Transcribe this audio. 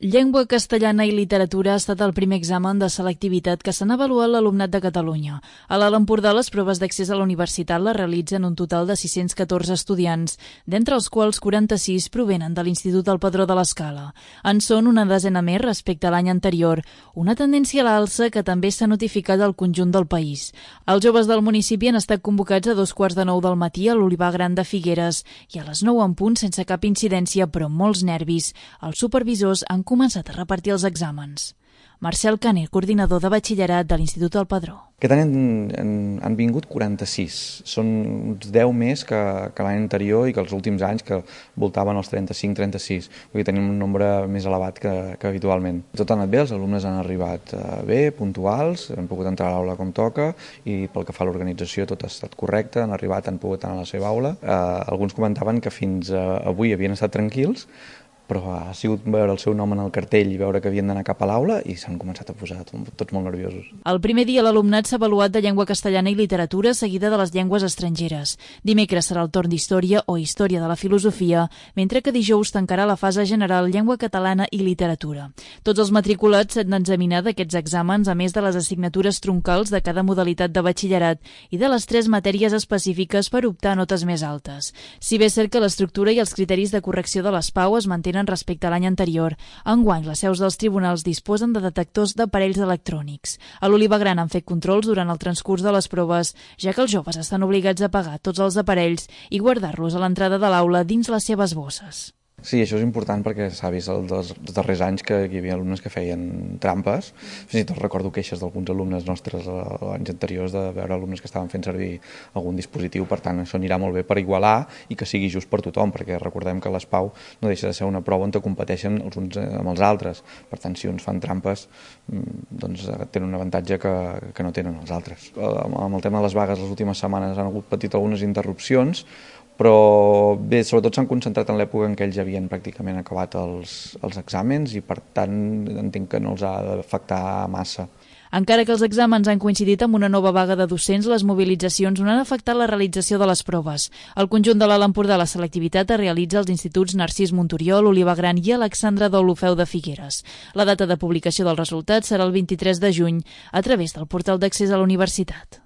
Llengua castellana i literatura ha estat el primer examen de selectivitat que s'han avaluat l'alumnat de Catalunya. A l'Alt Empordà, les proves d'accés a la universitat les realitzen un total de 614 estudiants, d'entre els quals 46 provenen de l'Institut del Padró de l'Escala. En són una desena més respecte a l'any anterior, una tendència a l'alça que també s'ha notificat al conjunt del país. Els joves del municipi han estat convocats a 8:45 del matí a l'Olivar Gran de Figueres i a les 9 en punt, sense cap incidència, però amb molts nervis. Els supervisors han començat a repartir els exàmens. Marcel Caner, coordinador de batxillerat de l'Institut del Padró. Aquest any han vingut 46. Són uns 10 més que l'any anterior i que els últims anys, que voltaven els 35-36. Vull dir, tenim un nombre més elevat que habitualment. Tot ha anat bé, els alumnes han arribat bé, puntuals, han pogut entrar a l'aula com toca i pel que fa a l'organització tot ha estat correcte, han arribat, han pogut anar a la seva aula. Alguns comentaven que fins avui havien estat tranquils, però ha sigut veure el seu nom en el cartell i veure que havien d'anar cap a l'aula i s'han començat a posar tots molt nerviosos. El primer dia l'alumnat s'ha avaluat de llengua castellana i literatura seguida de les llengües estrangeres. Dimecres serà el torn d'història o història de la filosofia, mentre que dijous tancarà la fase general llengua catalana i literatura. Tots els matriculats s'han d'examinar d'aquests exàmens a més de les assignatures troncals de cada modalitat de batxillerat i de les 3 matèries específiques per optar a notes més altes. Si bé és cert que l'estructura i els criteris de correcció de les PAU es mantenen respecte a l'any anterior, enguany les seus dels tribunals disposen de detectors d'aparells electrònics. A l'Olivar Gran han fet controls durant el transcurs de les proves, ja que els joves estan obligats a pagar tots els aparells i guardar-los a l'entrada de l'aula dins les seves bosses. Sí, això és important perquè s'ha vist els darrers anys que hi havia alumnes que feien trampes. Fins i tot recordo queixes d'alguns alumnes nostres anys anteriors de veure alumnes que estaven fent servir algun dispositiu. Per tant, això anirà molt bé per igualar i que sigui just per tothom, perquè recordem que les PAU no deixa de ser una prova on competeixen els uns amb els altres. Per tant, si uns fan trampes, doncs tenen un avantatge que no tenen els altres. Amb el tema de les vagues, les últimes setmanes han hagut patit algunes interrupcions, però bé, sobretot s'han concentrat en l'època en què ells ja havien pràcticament acabat els exàmens i per tant entenc que no els ha d'afectar massa. Encara que els exàmens han coincidit amb una nova vaga de docents, les mobilitzacions no han afectat la realització de les proves. Al conjunt de l'Alt Empordà la selectivitat es realitza als instituts Narcís Monturiol, Olivar Gran i Alexandre d'Olofeu de Figueres. La data de publicació dels resultats serà el 23 de juny a través del portal d'accés a la universitat.